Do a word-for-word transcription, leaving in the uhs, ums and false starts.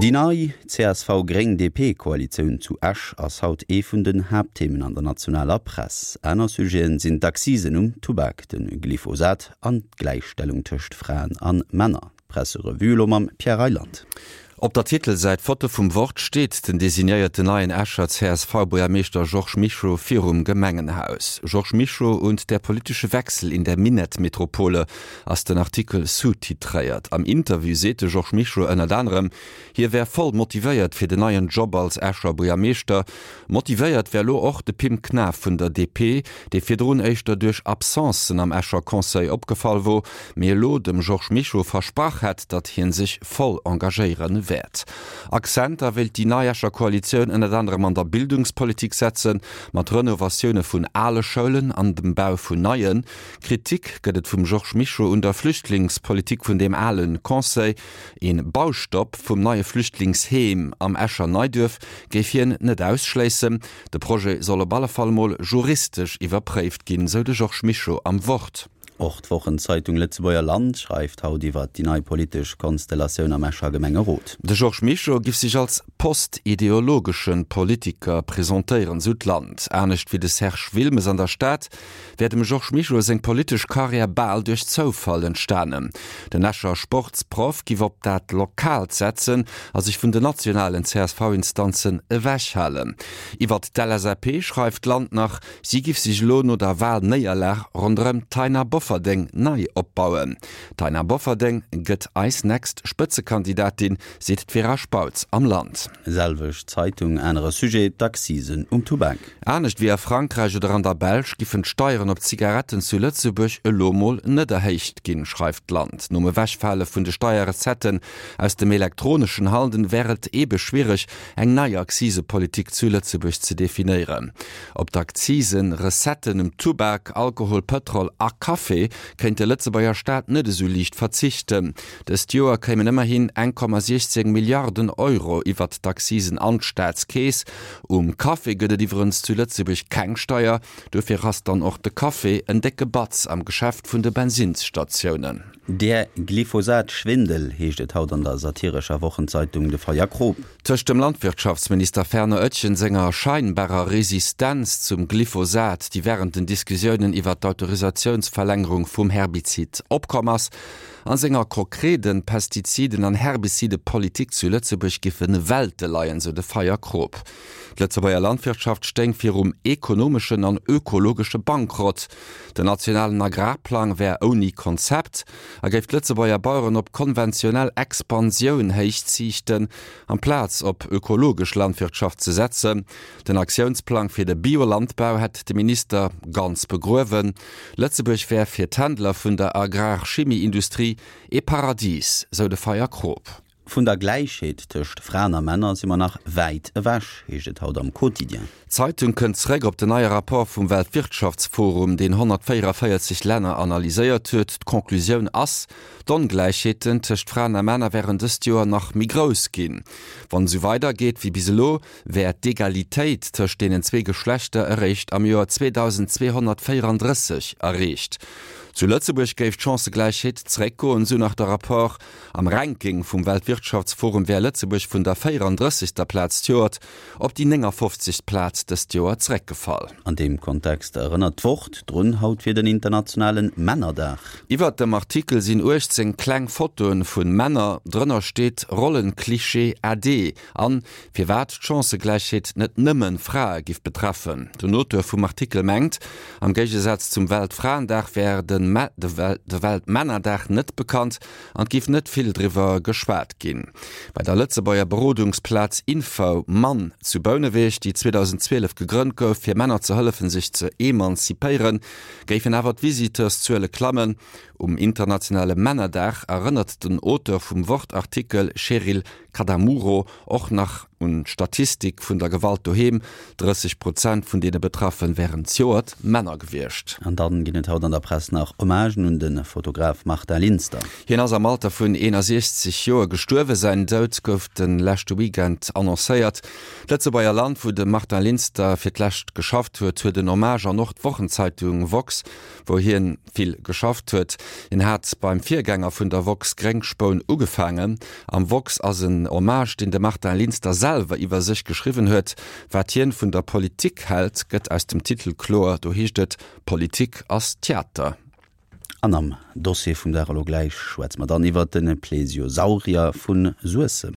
Déi nei CSV-Gréng-DP-Koalitioun zu Esch ass haut ee vun den Haaptthemen an der nationaler Press. Aner Sujeten sinn d'Accisen um Tubak, de Glyphosat an d'Gläichstellung tëscht Fraen a Männer. D'Presserevue elo mam Pierre Reyland. Op der Titelsäit Foto vum Wort steet den designéierten neien Escher C S V-Buergermeeschter Georges Mischo virum Gemengenhaus. Georges Mischo und der politische Wechsel in der Minett-Metropole ass den Artikel sous-titréiert. Am Interview seet de Georges Mischo ënnert anerem, hie wär voll motivéiert fir den neien Job als Escher Buergermeeschter. Motivéiert wär elo och de Pim Knaff vun der D P, dee virdrun éischter duerch Absencen am Escher Conseil opgefall wor, mee elo dem Georges Mischo versprach hätt, datt hie sech voll engagéiere wäert. Akzenter wéilt déi nei Escher Koalitioun ënnert anerem an der Bildungspolitik setzen, mat Renovatioune vun ale Schoulen an dem Bau vun neien. Kritik gëtt et vum Georges Mischo un der Flüchtlingspolitik vun deem ale Conseil. Ee Baustopp vum neie Flüchtlingsheem am Escher Neiduerf géif hien net ausschléissen. De Projet soll op alle Fall mol juristesch iwwerpréift ginn, sou de Georges Mischo am Wort. Och d'Wochenzeitung Lëtzebuerger Land schreift haut iwwer déi nei politesch Konstellatioun am Escher Gemengerot. De Georges Mischo giff sech als postideologesche Politiker presentéieren, sou d'Land. Anescht wéi de Serge Wilmes an der Stad, wär dem Georges Mischo seng politesch Karriär bal duerch Zoufall entstanen. Den Escher Sportsproff giff op dat Lokaalt setzen a sech vun den nationalen C S V-Instanzen ewechhalen. Iwwer d'L S A P schreift d'Land nach, si giff sech elo no der Walnéierlag ronderëm d'Taina Bofferding nei opbauen. D'Taina Bofferding gëtt eis nächst Spëtzekandidatin, seet d'Vera Spautz am Land. Selwecht Zeitung, anere Sujet, d'Accisen um Tubak. Anescht wéi a Frankräich oder an der Belsch giffen d'Steieren op Zigaretten zu Lëtzebuerg elo mol net erhéicht ginn, schreift d'Land. Nom Ewechfale vun de Steierrecetten aus dem elektroneschen Handel wär et ebe schwiereg, eng nei Akzisepolitik zu Lëtzebuerg ze definéieren. Op d'Akzisenrecetten um Tubak, Alkohol, Pëtrol a Café kéint de Lëtzebuerger Staat net esou liicht verzichten. Dëst Joer kéimen ëmmerhin eng Komma siechzéng Milliarden Euro iwwert d'Accisen an d'Staatskeess. Um Café gëtt et iwwerens zu Lëtzebuerg keng Steier, dofir ass dann och de Café en décke Batz am Geschäft vun de Bensinnsstatiounen. Der Glyphosat-Schwindel heescht et haut an der satirescher Wochenzeitung De Feierkrop. Tëscht dem Landwirtschaftsminister Fernand Oetjen senger scheinbarer Resistenz zum Glyphosat, déi wärend den Diskussiounen iwwer d'Autorisatiounsverlängerung vum Herbizid opkomm ass, a senger konkreten Pestiziden an Herbizidepolitik zu Lëtzebuerg giffe Welte leien, sou de Feierkrop. D'Lëtzebuerger Landwirtschaft stéing virum ekonomeschen an ökologesche Bankrott. Den nationalen Agrarplang wär ouni Konzept a géif d'Lëtzebuerger Baueren op konventionell Expansioun héichziichten, amplaz op ökologesch Landwirtschaft ze setzen. Den Aktiounsplang fir de Biolandbau hätt de Minister ganz begruewen. Lëtzebuerg wär fir d'Händler vun der Agrarchemieindustrie e Paradis, sou de Feierkrop. Vun der Gläichheet tëscht Fraen a Männer si mer nach wäit ewech, heescht et haut am Quotidien. D'Zeitung kënnt zeréck op den neie Rapport vum Weltwirtschaftsforum, deen honnertvéierenvéierzeg Länner analyséiert huet. D'Conclusioun ass, D'Ongläichheeten tëscht Fraen a Männer wären dëst Joer nach méi grouss ginn. Wann et sou weidergeet wéi bis elo, wär d'Egalitéit tëscht deenen zwee Geschlechter eréischt am Joer zweedausendzweehonnertvéierendrësseg erreecht. Zu Lëtzebuerg géif d'Chancëgläichheet zeréckgoen, sou nach de Rapport. Am Ranking vum Weltwirtschaftsforum wär Lëtzebuerg vun der véierendrëssegster Plaz d'Joert op déi néngafofzegst Plaz dëst Joer zeréckgefall. An deem Kontext erënnert d'Wort drun, haut wier den internationale Männerdag. Iwwert dem Artikel sinn uechtzéng kleng Fotoe vu Männer, drënner steet Rollenklischee ade an firwat d'Chancëgläichheet net nëmme Frae giff betreffen. Den Auteur vum Artikel mengt, am Géigesaz zum Weltfraendag wär de de Weltmännerdag net bekannt an et giff net vill driwwer geschwat ginn. Bei der Lëtzebuerger Berodungsplaz Info-Mann zu Bouneweg, déi zweedausendzwielef gegrënnt gouf, fir Männer ze hëllefen, sech ze emanzipéieren, géifen awer d'Visiteurszuele klammen. Um internationale Männerdag erënnert den Auteur vum Wort-Artikel Cheryl Cadamuro och nach un d'Statistik vun der Gewalt doheem, drësseg Prozent vun deene Betraffene wären zejoert Männer gewiescht. An dann ginn et haut an der Press nach Hommagen un de Fotograf Martin Linster. Hien ass am Alter vun eenasiechzeg Joer gestuerwen. Säin Doud gouf de leschte Weekend annoncéiert. D'Lëtzebuerger Land, wou de Martin Linster fir d'lescht geschafft huet, huet en Hommage an och d'Wochenzeitung Woxx, wou hien vill geschafft huet. Hien hat beim Virgänger vun der woxx Gréngspoun ugefaangen. Am woxx ass en Hommage, deen de Martin Linster selwer iwwer sech geschriwwen huet. Wat hien vun der Politik hält, gëtt aus dem Titel kloer, do heescht et, Politik ass Theater. An am Dossier vum Dag elo gläich schwätze mer dann iwwer de Plesiosaurier vu Suessem.